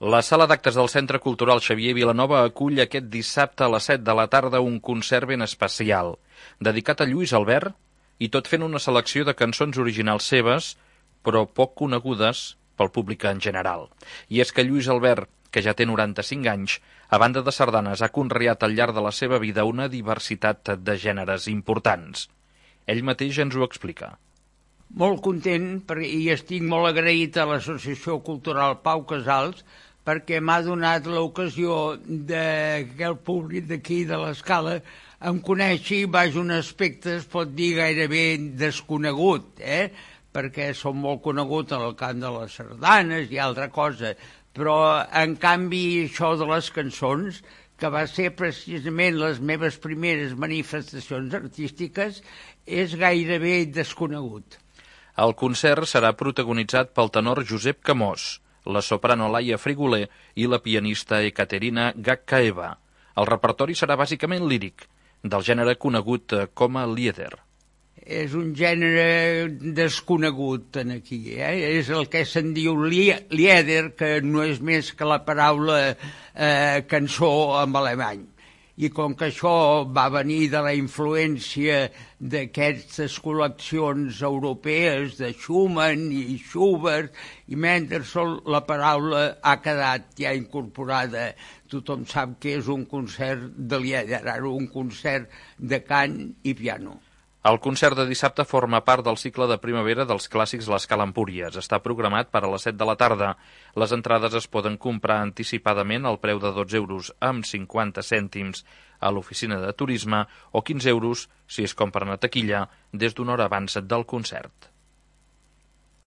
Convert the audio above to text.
La sala d'actes del Centre Cultural Xavier Vilanova acull aquest dissabte a les 7 de la tarda un concert ben especial, dedicat a Lluís Albert, i tot fent una selecció de cançons originals seves, però poc conegudes pel públic en general. I és que Lluís Albert, que ja té 95 anys, a banda de sardanes ha conreat al llarg de la seva vida una diversitat de gèneres importants. Ell mateix ens ho explica. Molt content i estic molt agraït a l'Associació Cultural Pau Casals perquè m'ha donat l'ocasió que el públic d'aquí de l'Escala em coneixi baix un aspecte, es pot dir, gairebé desconegut, perquè som molt conegut en el camp de les sardanes i altra cosa, però en canvi això de les cançons, que va ser precisament les meves primeres manifestacions artístiques, és gairebé desconegut. El concert serà protagonitzat pel tenor Josep Camós, la soprano Laia Frigoler i la pianista Ekaterina Gakkaeva. El repertori serà bàsicament líric, del gènere conegut com a lieder. És un gènere desconegut aquí, És el que se'n diu lieder, que no és més que la paraula cançó en alemany. I com que això va venir de la influència d'aquestes col·leccions europees de Schumann i Schubert i Mendelssohn, la paraula ha quedat ja incorporada. Tothom sap que és un concert de lieder, ara un concert de cant i piano. El concert de dissabte forma part del cicle de primavera dels clàssics l'Escala Empúries. Està programat per a les 7 de la tarda. Les entrades es poden comprar anticipadament al preu de 12 euros amb 50 cèntims a l'oficina de turisme o 15 euros si es compren a taquilla des d'una hora abans del concert.